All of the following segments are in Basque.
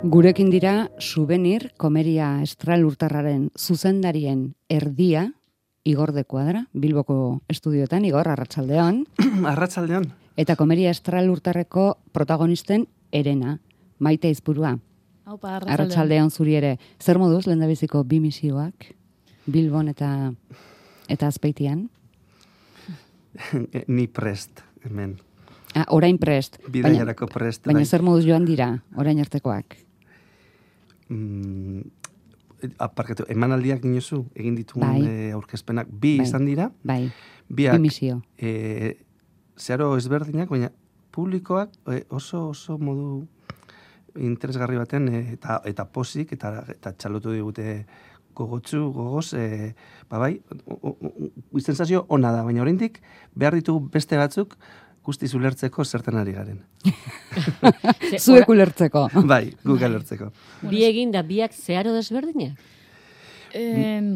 Gurekin dira Souvenir Komeria Estralurtarraren zuzendarien erdia, Igor de Cuadra, Bilboko estudioetan. Igor, arratsaldeon. Arratsaldeon. Eta Komeria Estralurtarreko protagonisten Erena, Maite Aizpurua. Aupa, arratsaldeon zuri ere. Zer moduz lehendabiziko bi misioak, Bilbon eta Azpeitian? Ni prest, hemen. Orain prest. Bidaiarako prest. Baina zer moduz joan dira, orain artekoak? Aparkatu, emanaldiak dinozu, egin dituen aurkezpenak, bi izan dira. Bai, biak, bi misio. Zeharo ezberdinak, baina publikoak oso modu interesgarri baten eta posik eta txalotu digute gogoz, bai, sensazio ona da, baina oraindik behar ditugu beste batzuk guztiz ulertzeko zertan ari garen. Zuek ulertzeko. Bai, guk ulertzeko. Bi egin da, biak zeharo desberdinak?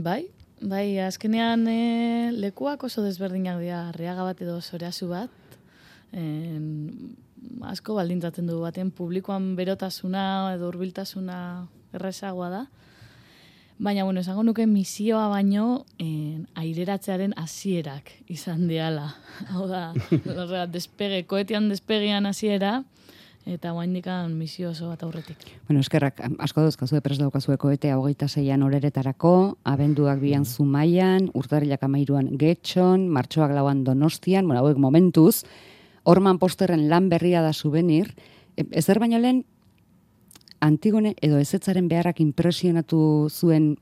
Bai, azkenean lekuak oso desberdinak dira, Arriaga bat edo Zorazu bat. Asko baldintzatzen du baten publikoan berotasuna edo hurbiltasuna errezagoa da. Baina, esango nuke misioa baino aireratzearen hasierak izan diala. Hau da, koetean despegian hasiera, eta guaindikan misio oso bat aurretik. Eskerrak, asko dauzkazue prest daukazue koetea 26an oreretarako, abenduak 2an Zumaian, urtarrilak 13an Getxon, martxoak 4an Donostian, hauek momentuz, Orman Posterren lan berria da Souvenir, ezer baino lehen, Antigone edo ezetzaren beharrak impresionatu zuen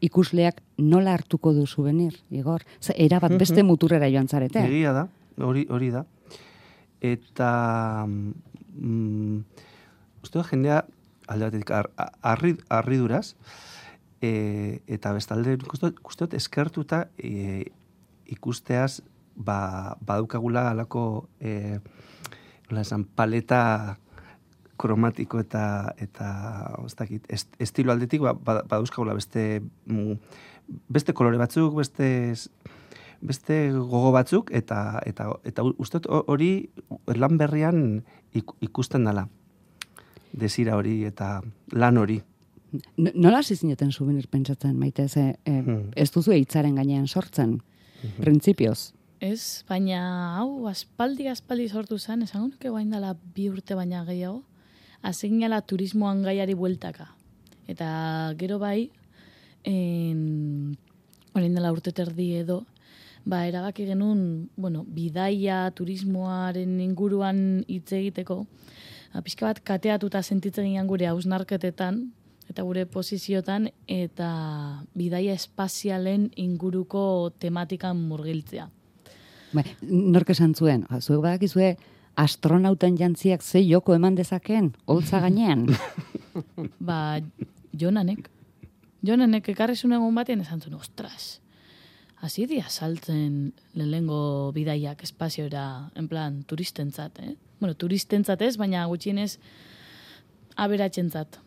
ikusleak nola hartuko du Souvenir, Igor? Erabat beste muturrera joan zarete. Egia da, hori da. Eta uste da jendea alde batetik harriduraz eta bestalde uste dut eskertuta ikusteaz badukagula alako paleta kromatiko eta estilo aldetik baduzkagula beste kolore batzuk, beste gogo batzuk, eta uste hori lan berrian ikusten dela. Desira hori eta lan hori. Nola hasi zineten Souvenir pentsatzen, Maite? Ez duzu hitzaren gainean sortzen, printzipioz? Ez, baina hau aspaldi sortu zen, esango nuke guain dela 2 urte baina gehiago, azignala turismoan gaiari bueltaka. Eta gero bai, orain dela urte terdi edo, erabaki genuen, bidaia turismoaren inguruan hitz egiteko, pixka bat kateatuta sentitzen ginen gure hausnarketetan, eta gure posiziotan, eta bidaia espazialen inguruko tematikan murgiltzea. Nork esan zuen, zuek badakizue astronauten jantziak ze joko eman dezaken, holtza gainean? Jonanek ekarrizun egun batean esan zuen, ostras, hasi dia saltzen lehenengo bidaiak espaziora, en plan, turistentzat, turistentzat ez, baina gutxienez aberatsentzat,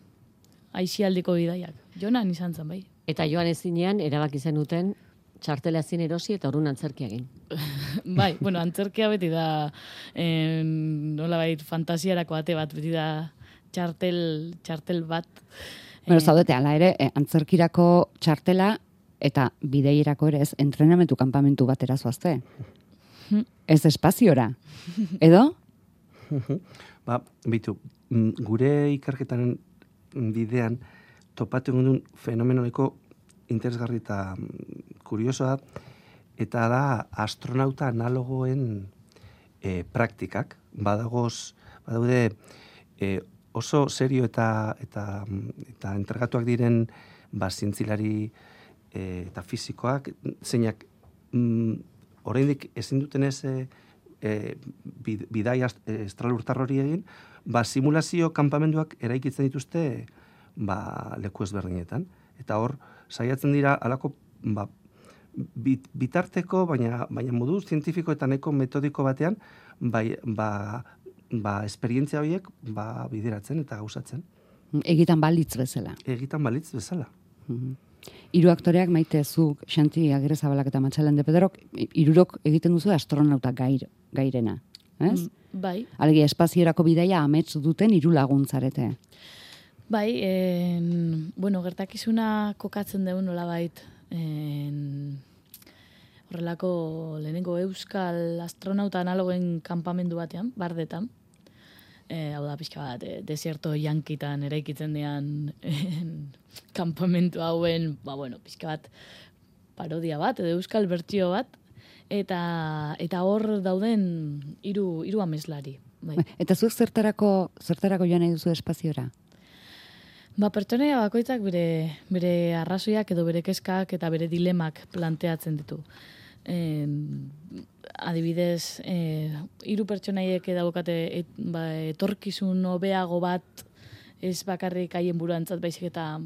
aizialdiko bidaiak. Jonan izan zen, bai. Eta joan ezinean, erabaki zenuten txartela zin erosi eta orrun antzerkia egin. Bai, antzerkia beti da nolabait fantasiarako ate bat, beti da txartel bat. Zaudete, ala ere, antzerkirako txartela eta bideirako ere ez, entrenamentu kanpamentu batera zoazte. Ez espaziora. Edo? Bitu, gure ikerketaren bidean topatu duen fenomenoneko interesgarri eta kuriosoa, eta da astronauta analogoen praktikak. Badaude oso serio eta entregatuak diren zientzilari eta fisikoak, zeinak oraindik ezin duten ez bidaia estralurtar hori egin, simulazio kanpamenduak eraikitzen dituzte leku ezberdinetan. Eta hor, saiatzen dira alako bitarteko, baina modu zientifiko eta nahiko metodiko batean, esperientzia horiek bideratzen eta gauzatzen. Egitan balitz bezala. Egitan balitz bezala. 3 aktoreak, Maite, zuk, Xanti, Agirrezabalak eta Matxalen de Pedrok, 3 egiten duzu astronauta gairena. Ez? Bai. Alegia, espaziorako bidaia amets duten 3 laguntzarete. Bai, bueno, gertakizuna kokatzen dugu nolabait, horrelako lehenengo euskal astronauta analogen kanpamendu batean, bardetan. Hau da, pixka bat, desierto yankitan eraikitzen dian kanpamentu hauen, bueno, pixka bat parodia bat, edo euskal bertsio bat, eta hor dauden hiru ameslari. Bai. Eta zuek zertarako joan nahi duzu espaziora? Pertsonaia bakoitzak bere arrazoiak edo bere kezkak eta bere dilemak planteatzen ditu. Adibidez, 3 pertsonaiek daukate etorkizun hobeago bat ez bakarrik haien buruantzat baizik eta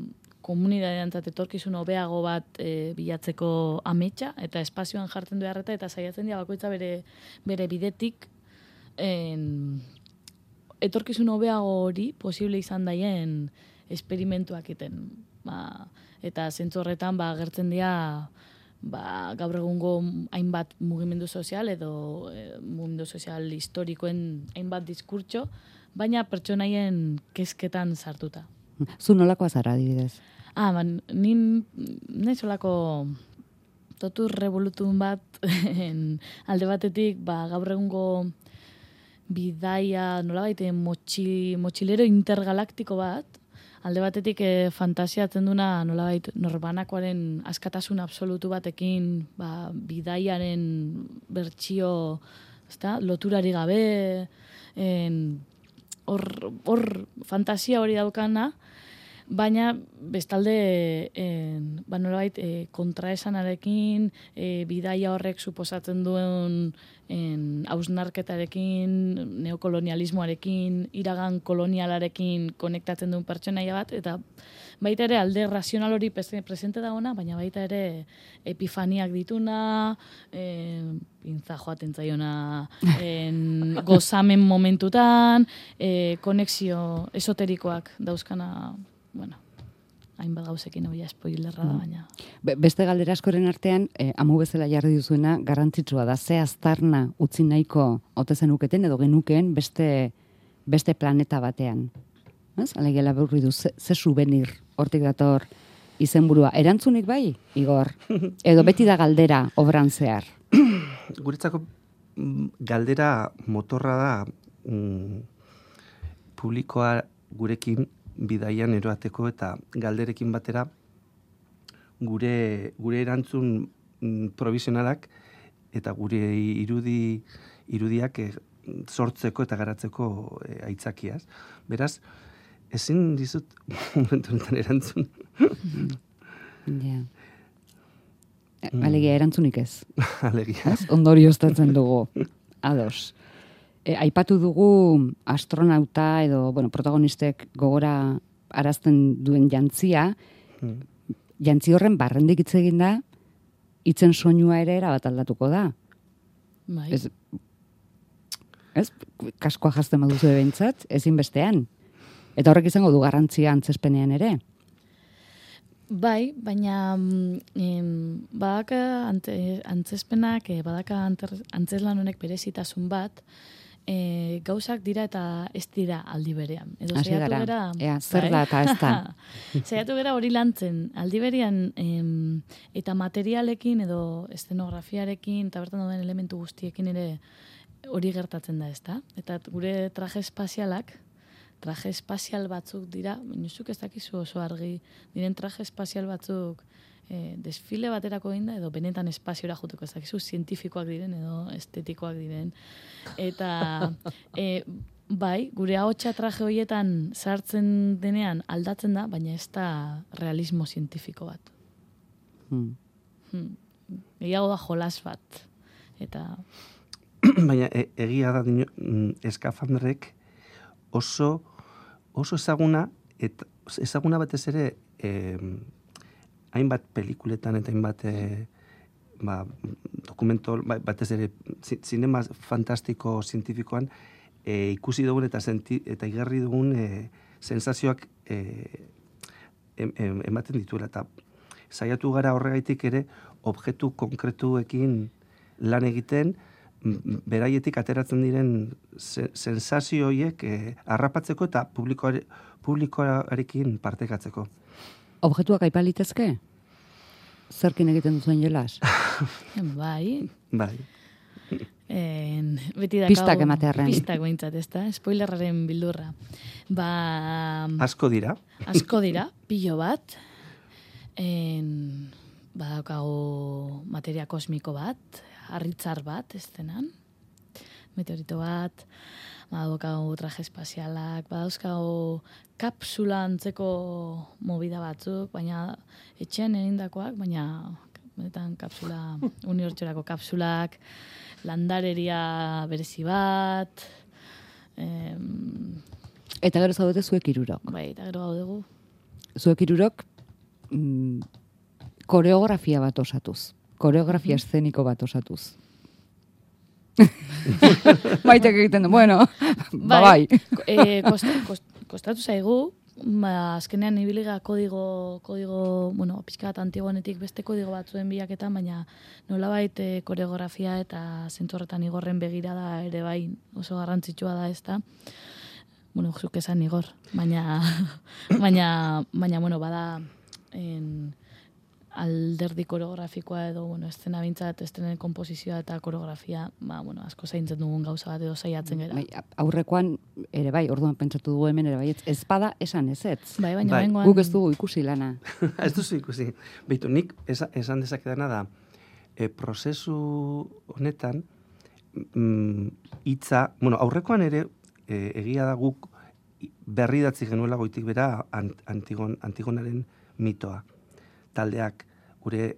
komunitateantzat etorkizun hobeago bat bilatzeko ametsa eta espazioan jartzen du harreta eta saiatzen dira bakoitza bere bidetik etorkizun hobeago hori posible izan daien esperimentuak iten. Eta zentzu horretan agertzen dira gaur egungo hainbat mugimendu sozial edo mugimendu sozial historikoen hainbat diskurtso, baina pertsonaien kezketan sartuta. Zu nolakoa zara, adibidez? Nahi solako totur revolutun bat alde batetik gaur egungo bidaia nolabait motxilero intergalaktiko bat, alde batetik fantasiatzen duna nolabait norbanakoaren askatasun absolutu batekin bidaiaren bertsio loturari gabe hor fantasia hori daukana, baina bestalde nolabait kontraesanarekin, bidaia horrek suposatzen duen hausnarketarekin, neokolonialismoarekin, iragan kolonialarekin konektatzen duen pertsonaia bat, eta baita ere alde razional hori presente dagoena, baina baita ere epifaniak dituna, pintza joaten zaiona gozamen momentutan, konexio esoterikoak dauzkana, hainbat gauzekin hori spoilerra da, baina. Beste galdera askoren artean, amu bezala jarri duzuena, garrantzitsua da, ze aztarna utzi nahiko ote zenuketen edo genukeen beste planeta batean. Alegela burri du, ze souvenir hortik dator izenburua. Erantzunik bai, Igor? Edo beti da galdera obran zehar? Guretzako galdera motorra da publikoa gurekin bidaian eroateko eta galderekin batera gure erantzun provisionalak eta gure irudiak sortzeko eta garatzeko aitzakiaz. Beraz, ezin dizut momentu honetan erantzun. Alegia erantzunik ez. Alegia. Ondorioztatzen dugu. Ados. Aipatu dugu astronauta edo protagonistek gogora arazten duen jantzia. Jantzi horren barrendik hitz egin da, hitzen soinua ere erabat aldatuko da. Bai. Ez? Kaskoa jazten baduzu behintzat, ezin bestean. Eta horrek izango du garrantzia antzespenean ere. Bai, baina badaka antzespenak, badaka antzeslan honek berezitasun bat, gauzak dira eta ez dira aldi berean. Edo saiatu gera, zer da eta ez da. Saiatu gera hori lantzen, aldi berean eta materialekin edo eszenografiarekin eta bertan dauden elementu guztiekin ere hori gertatzen da, ezta? Eta gure traje espazial batzuk dira, minuzuk ez dakizu oso argi, diren traje espazial batzuk desfile baterako egin da, edo benetan espaziora juteko ez dakizu, zientifikoak diren edo estetikoak diren. Eta bai, gure ahotsa traje horietan sartzen denean aldatzen da, baina ez da realismo zientifiko bat. Egiago da jolas bat. Eta... Baina egia da eskafandrek oso ezaguna, eta ezaguna batez ere hainbat pelikuletan eta hainbat dokumento, batez ere zinema fantastiko zientifikoan ikusi dugun eta igarri dugun sensazioak ematen dituela. Eta saiatu gara horregaitik ere objektu konkretuekin lan egiten, beraietik ateratzen diren sensazio horiek harrapatzeko eta publikoarekin partekatzeko. Objektuak aipalitezke? Zerkin egiten duzuen jolas? Bai. Bai. Beti dakau... Pistak ematearren. Pistak behintzat, ez da? Spoilerraren bildurra. Asko dira. Asko dira, pilo bat. Badaukagu materia kosmiko bat, harritzar bat, ez denan. Meteorito bat, badaukagu traje espazialak, badauzkagu kapsula antzeko movida batzuk, baina etxean egindakoak, baina benetan kapsula, unibertsorako kapsulak, landareria berezi bat, Eta gero zaudete zuek hirurok. bai, eta gero gaudegu. Zuek hirurok koreografia bat osatuz. Koreografia eszeniko bat osatuz. Maitek egiten du, bueno, bai. Kostatu zaigu, azkenean ibiliga kodigo, bueno, pixka bat antiguanetik beste kodigo batzuen bilaketan, baina nolabait koreografia eta zentzu horretan Igorren begirada ere bai oso garrantzitsua da, ezta. Bueno, zuk esan Igor, baina, bueno, bada alderdi koreografikoa edo, bueno, estena bintzat, estenen komposizioa eta koreografia, bueno, asko zaintzen dugun gauza bat edo saiatzen gara. Bai, aurrekoan ere bai, orduan pentsatu dugu hemen ere bai, ez bada esan ezetz. Bai, baina Bai. bengoan... Guk ez dugu ikusi lana. Ez duzu ikusi. Beitu, nik esan dezakedana da, prozesu honetan, hitza, bueno, aurrekoan ere, egia da guk berridatzi genuela goitik bera Antigonaren mitoa. Taldeak, gure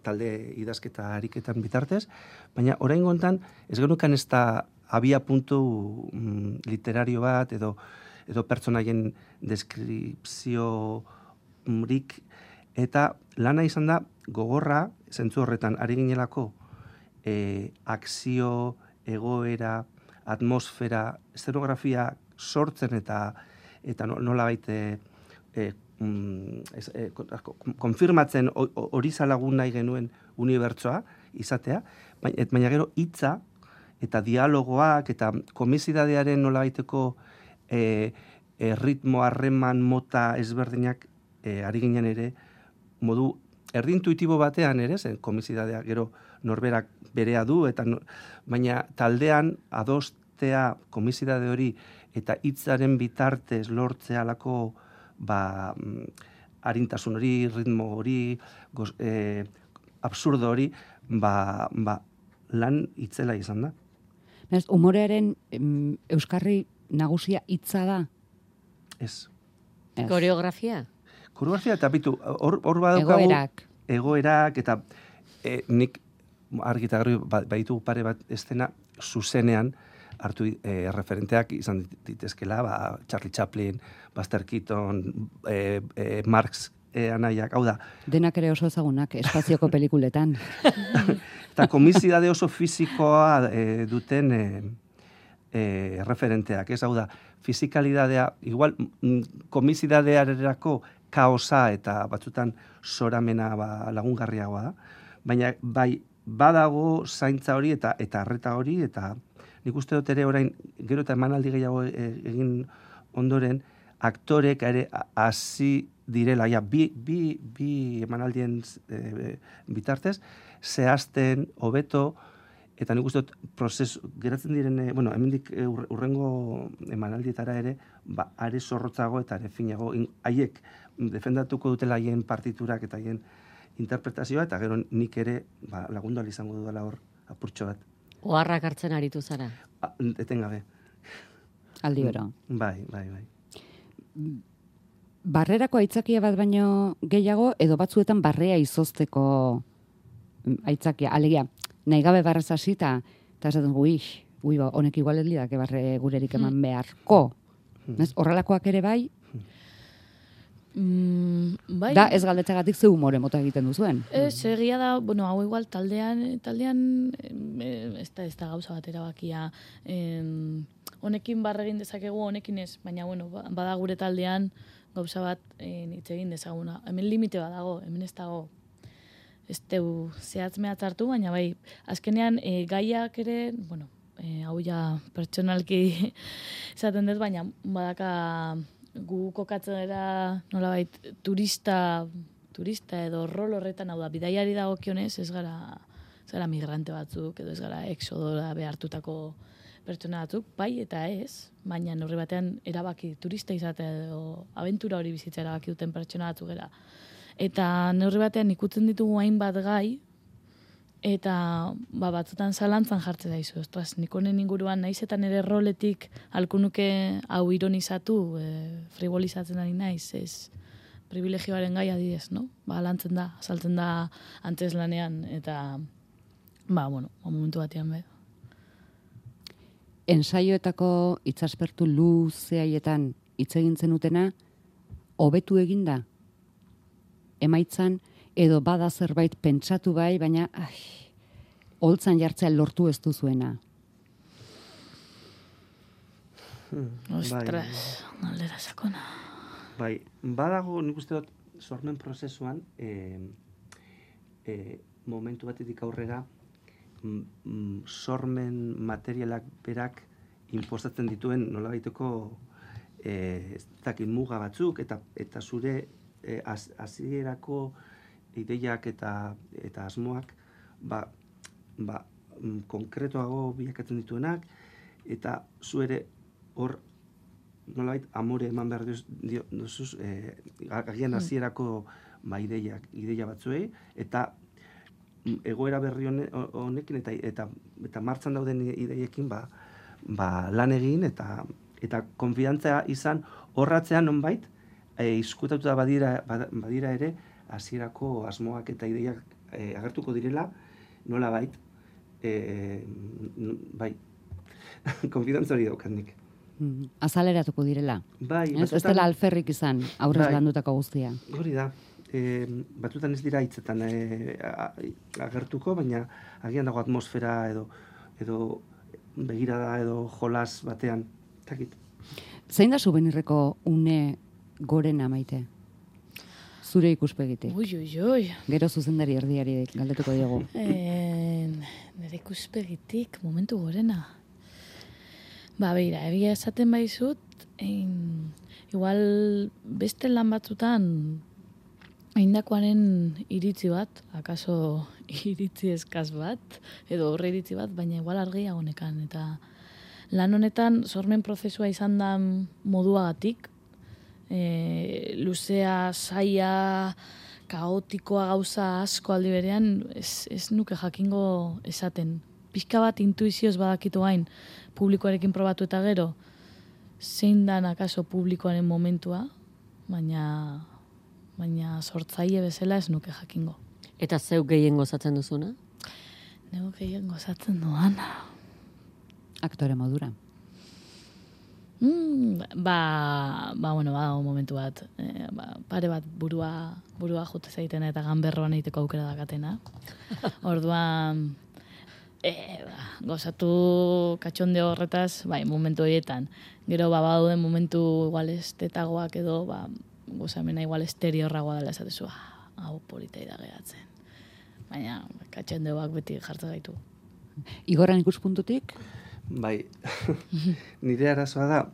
talde idazketa ariketan bitartez, baina orain gontan ez genukan ez da abia puntu literario bat edo pertsonaien deskripziorik, eta lana izan da gogorra, zentzu horretan ari ginelako akzio, egoera, atmosfera, eszenografia sortzen eta nola baite konfirmatzen hori zalagun nahi genuen unibertsoa izatea, baina gero hitza eta dialogoak eta komisidadearen nola baiteko ritmo, harreman, mota ezberdinak ari ginen ere modu erdintuitibo batean ere, zen komisidadea gero norberak berea du, baina taldean adostea komisidade hori eta hitzaren bitartez lortzea alako harintasun hori, ritmo hori, absurdo hori, lan hitzela izan da. Humorearen euskarri nagusia hitza da? Ez. Koreografia? Koreografia eta bitu, hor badaukagu... Egoerak, eta nik argita garbi baditu pare bat estena zuzenean hartu referenteak izan ditezkela, Charlie Chaplin, Buster Keaton, Marx anaiak, hau da. Denak ere oso ezagunak, espazioko pelikuletan. Eta komisidade oso fizikoa duten referenteak, ez hau da, fizikalidadea, igual komisidadearerako kaosa eta batzutan soramena lagungarriagoa da, baina bai badago zaintza hori eta arreta hori, eta nik uste dut ere orain gero eta emanaldi gehiago egin ondoren, aktorek ere hasi direla, bi emanaldien bitartez, zehazten, hobeto, eta nik uste dut prozesu, geratzen diren, hemendik urrengo emanaldietara ere, are zorrotzago eta are finago, haiek defendatuko dutela haien partiturak eta haien interpretazioa, eta gero nik ere lagundu ahal izango dudala hor apurtxo bat. Oharrak hartzen aritu zara? Etengabe. Aldi bero. Bai. Barrerako aitzakia bat baino gehiago, edo batzuetan barrea izozteko aitzakia, alegia, nahi gabe barraz hasita, eta esaten honek igual ez lidake barre gurerik eman beharko. Horrelakoak ere bai, bai. Da, ez galdetzagatik ze humore mota egiten duzuen. Egia da, hau igual taldean ez da gauza bat erabakia. Honekin barregin dezakegu, honekin ez, baina bada gure taldean gauza bat hitz egin dezaguna. Hemen limite bat dago, hemen ez dago ez teu zehatz-mehatz hartu, baina bai, azkenean gaiak ere, bueno, hau ja pertsonalki esaten dut, baina badaka gu kokatzen dira nolabait turista edo rol horretan, hau da, bidaiari dagokionez ez gara migrante batzuk, edo ez gara exodora behartutako pertsona batzuk, bai eta ez, baina neurri batean erabaki turista izatea edo abentura hori bizitza erabaki duten pertsona batzuk gara. Eta neurri batean ikutzen ditugu hainbat gai, eta batzutan zalantzan jartzen daizu. Ostras, nik honen inguruan naizetan ere roletik halko nuke hau ironizatu, frivolizatzen ari naiz, ez privilegioaren gai adidez, no? Lantzen da, azaltzen da antzeslanean, eta momentu batean be. Ensaioetako hitzaspertu luzeaietan hitz egin zenutena hobetu eginda? Emaitzan, edo bada zerbait pentsatu bai, baina holtzan jartzea lortu ez duzuena. Ostras, galdera sakona. Bai, badago, nik uste dut, sormen prozesuan, momentu batetik aurrera, sormen materialak berak inposatzen dituen nolabaiteko muga batzuk, eta zure hasierako ideiak eta asmoak konkretoago bilakatzen dituenak, eta zu ere hor nolabait amore eman behar duzuz agian hasierako ideia batzuei, eta egoera berri honekin eta martxan dauden ideiekin lan egin eta konfidantza izan horratzean nonbait izkutatuta badira ere hasierako asmoak eta ideiak agertuko direla nolabait bai konfidantza hori daukat nik. Azaleratuko direla. Bai, ez dela alferrik izan aurrez landutako guztia. Hori da. Batzutan ez dira hitzetan agertuko, baina agian dago atmosfera edo begirada edo jolas batean. Takit. Zein da Zubenirreko une gorena Maite? Zure ikuspegitik. Ui. Gero zuzendari erdiari galdetuko diogu. Nire ikuspegitik momentu gorena. Beira, egia esaten baizut, igual beste lan batzutan eindakoaren iritzi bat, akaso iritzi eskaz bat, edo horre iritzi bat, baina igual argia honekan. Eta lan honetan sormen prozesua izan da moduagatik, luzea, zaila, kaotikoa gauza asko aldi berean, ez nuke jakingo esaten. Pixka bat intuizioz badakitu gain, publikoarekin probatu eta gero, zein dan akaso publikoaren momentua, baina sortzaile bezala ez nuke jakingo. Eta zeu gehien gozatzen duzuna? Nego gehien gozatzen duana. Aktore modura. Badago momentu bat, pare bat burua jute zaitena eta ganberroan egiteko aukera dakatena. Orduan, gozatu katxonde horretaz, momentu horietan. Gero, baduden momentu igual estetagoak edo, gozamena igual esteriorragoa dela esatezu, hau politei da geratzen. Baina, katxondeoak beti jartzen gaitu. Igorran ikuspuntutik? Bai, nire arazoa da,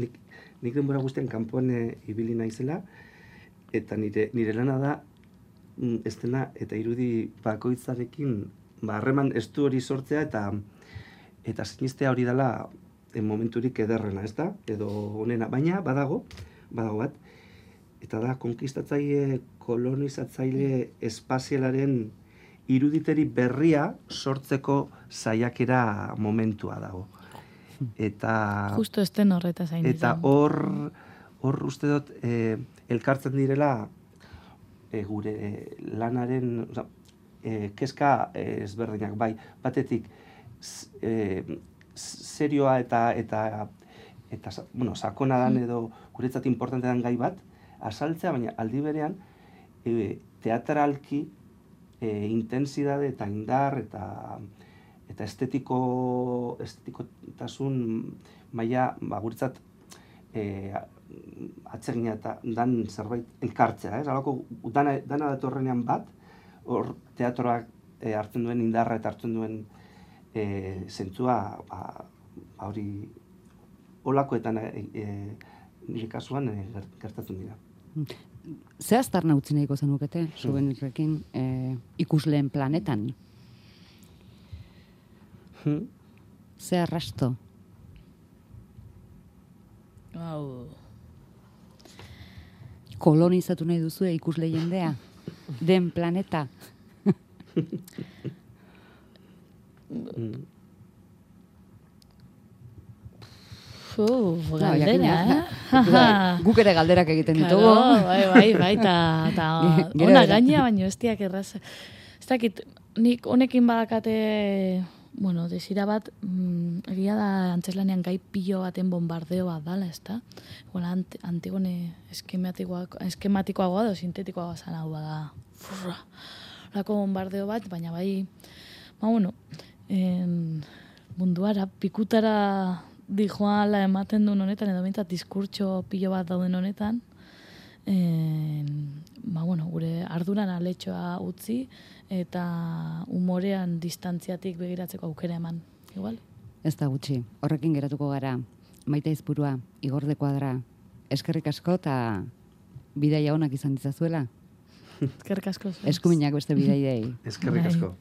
nik denbora guztian kanpoan ibili naizela, eta nire lana da, ez dena, eta irudi bakoitzarekin, harreman estu hori sortzea, eta sinistea hori dela momenturik ederrena, ez da? Edo honena, baina badago bat, eta da, konkistatzaile, kolonizatzaile espazialaren iruditeri berria sortzeko saiakera momentua dago. Eta justo esten horreta zain. Eta hor uste dut elkartzen direla gure lanaren, kezka ezberdinak, bai, batetik serioa eta sakona dan edo guretzat importante dan gai bat, azaltzea, baina aldi berean teatralki intensidade eta indar eta estetikotasun maila guretzat atsegina eta dan zerbait elkartzea, ez? Alako dana datorrenean bat, hor teatroak hartzen duen indarra eta hartzen duen zentzua, hori olakoetan nire kasuan gertatzen dira. Ze aztarna utzi nahiko zenukete, Souvenirrekin, ikusleen planetan? Ze arrasto? Kolonizatu nahi duzu ikusle jendea? Den planeta? Galdera, Guk ere galderak egiten ditugu. Bai, eta ona gaina, baino ez diak erraz. Ez dakit, nik honekin badakate, bueno, desira bat, egia da antzeslanean gai pilo baten bombardeo bat dala, ez da? Antigone eskematikoagoa edo sintetikoagoa zan hau bada. Lako bombardeo bat, baina bai, munduara, pikutara dijoala ematen duen honetan, edo bintzat diskurtso pilo bat dauden honetan, gure arduran aletxoa utzi, eta umorean distantziatik begiratzeko aukera eman, igual? Ez da gutxi, horrekin geratuko gara, Maite Aizpurua, Igor de Kuadra, eskerrik asko eta bidaia onak izan ditzazuela. Eskerrik asko. Eskuminak beste bidaiei. Eskerrik asko.